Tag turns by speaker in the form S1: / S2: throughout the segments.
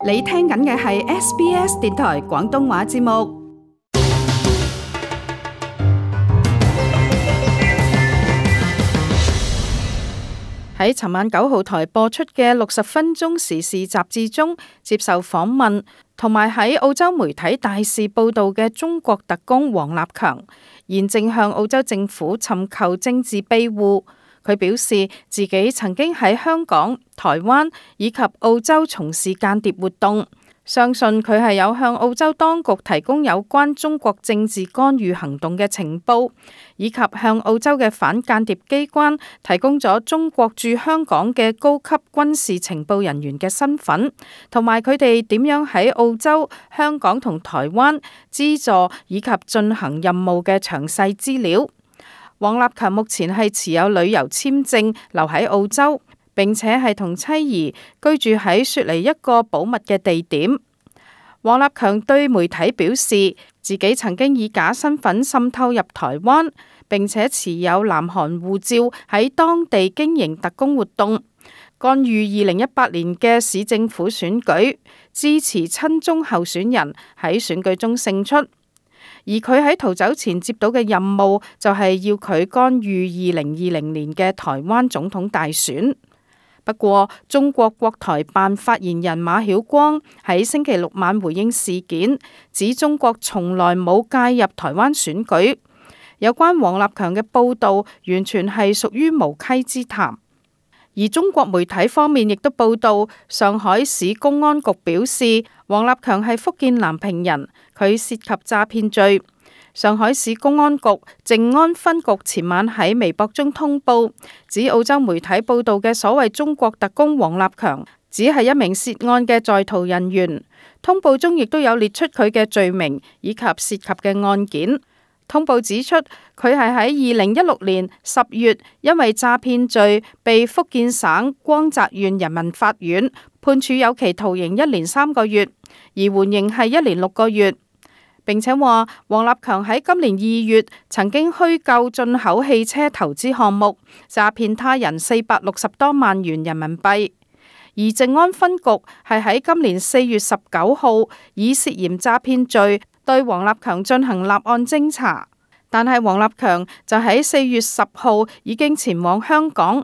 S1: 你聽緊嘅係 SBS 電台廣東話節目。喺尋晚9號台播出嘅60分鐘時事雜誌中，接受訪問同埋喺澳洲媒體大肆報導嘅中國特工王立強，現正向澳洲政府尋求政治庇護。佢表示自己曾經喺香港、台灣以及澳洲從事間諜活動，相信佢係有向澳洲當局提供有關中國政治干預行動嘅情報，以及向澳洲嘅反間諜機關提供咗中國駐香港嘅高級軍事情報人員嘅身份，同埋佢哋點樣喺澳洲、香港同台灣資助以及進行任務嘅詳細資料。王立強目前係持有旅遊簽證留喺澳洲，並且係同妻兒居住喺雪梨一個保密嘅地點。王立強對媒體表示，自己曾經以假身份滲透入台灣，並且持有南韓護照喺當地經營特工活動，干預2018年嘅市政府選舉，支持親中候選人喺選舉中勝出。而佢喺逃走前接到嘅任務就係要佢干預2020年嘅台灣總統大選。不過，中國國台辦發言人馬曉光喺星期六晚回應事件，指中國從來冇介入台灣選舉。有關王立強嘅報導完全係屬於無稽之談。而中國媒體方面亦都報道，上海市公安局表示，王立強係福建南平人，佢涉及詐騙罪。上海市公安局靜安分局前晚喺微博中通報，指澳洲媒體報道嘅所謂中國特工王立強，只係一名涉案嘅在逃人員。通報中亦都有列出佢嘅罪名以及涉及嘅案件。通報指出，佢係喺2016年10月因為詐騙罪被福建省光澤縣人民法院判處有期徒刑1年3個月，而緩刑係1年6個月。並且話，王立強喺今年2月曾經虛構進口汽車投資項目，詐騙他人460多萬元人民幣。而靜安分局係喺今年4月19號以涉嫌詐騙罪對王立強進行立案偵查，但係王立強就喺4月10號已經前往香港，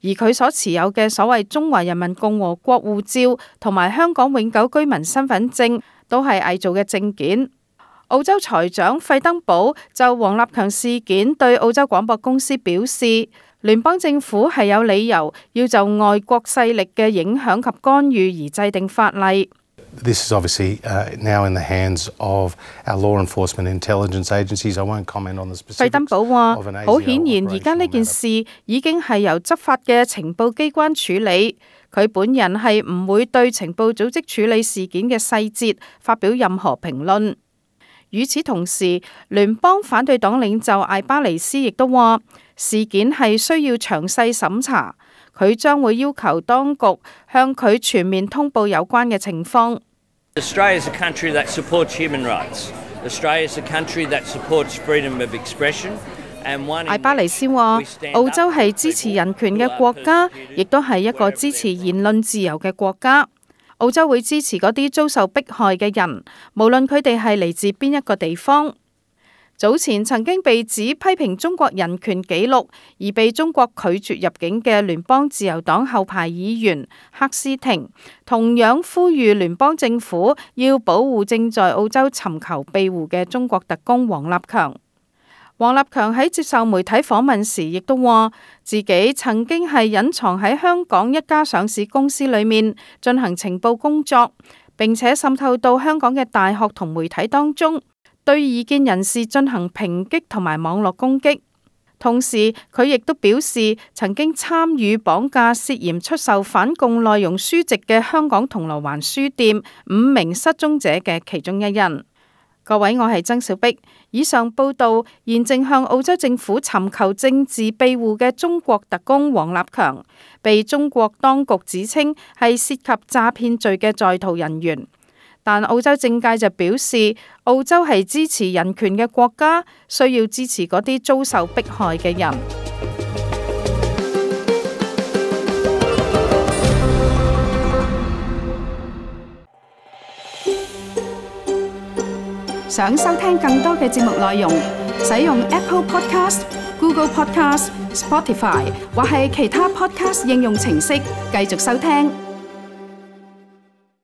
S1: 而佢所持有嘅所謂中華人民共和國護照同埋香港永久居民身份證都係偽造嘅證件。澳洲財長費登堡就王立強事件對澳洲廣播公司表示，聯邦政府係有理由要就外國勢力嘅影響及干預而制定法例。
S2: This is obviously now in the hands of our law enforcement intelligence agencies. I won't comment on the specifics.
S1: 費登堡話：好顯然，而家呢件事已經係由執法嘅情報機關處理。佢本人係唔會對情報組織處理事件嘅細節發表任何評論。與此同時，聯邦反對黨領袖艾巴尼斯亦都話，事件係需要詳細審查。佢將會要求當局向佢全面通報有關嘅情況。
S3: Australia is a country that supports human rights. Australia is a country that supports freedom of expression.
S1: 艾巴尼斯話：澳洲係支持人權嘅國家，亦都係一個支持言論自由嘅國家。澳洲會支持嗰啲遭受迫害嘅人，無論佢哋係嚟自邊一個地方。早前曾經被指批評中國人權紀錄而被中國拒絕入境嘅聯邦自由黨後排議員赫斯廷，同樣呼籲聯邦政府要保護正在澳洲尋求庇護嘅中國特工王立強。王立強喺接受媒體訪問時，亦都話自己曾經係隱藏喺香港一家上市公司裏面進行情報工作，並且滲透到香港嘅大學同媒體當中，對異見人士進行抨擊同埋網絡攻擊。同時，佢亦都表示曾經參與綁架涉嫌出售反共內容書籍嘅香港銅鑼灣書店5名失蹤者嘅其中一人。各位，我係曾小碧。以上報道現正向澳洲政府尋求政治庇護嘅中國特工王立強，被中國當局指稱係涉及詐騙罪嘅在逃人員。但澳洲政界就表示，澳洲係支持人權嘅國家，需要支持嗰啲遭受迫害嘅人。想收聽更多嘅節目內容，使用 Apple Podcast、Google Podcast、Spotify 或係其他 Podcast 應用程式繼續收聽。